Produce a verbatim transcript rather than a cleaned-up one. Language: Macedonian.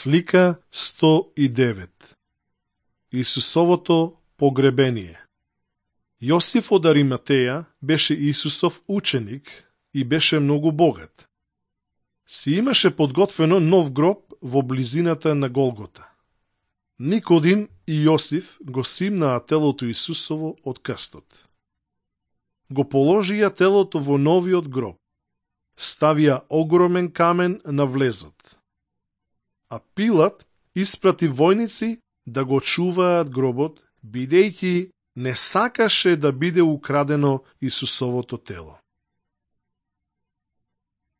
Слика сто и девет. Исусовото погребение. Јосиф од Ариматеја беше Исусов ученик и беше многу богат. Си имаше подготвено нов гроб во близината на Голгота. Никодим и Јосиф го симнаа телото Исусово од крстот. Го положија телото во новиот гроб. Ставија огромен камен на влезот. А Пилат испрати војници да го чуваат гробот, бидејќи не сакаше да биде украдено Исусовото тело.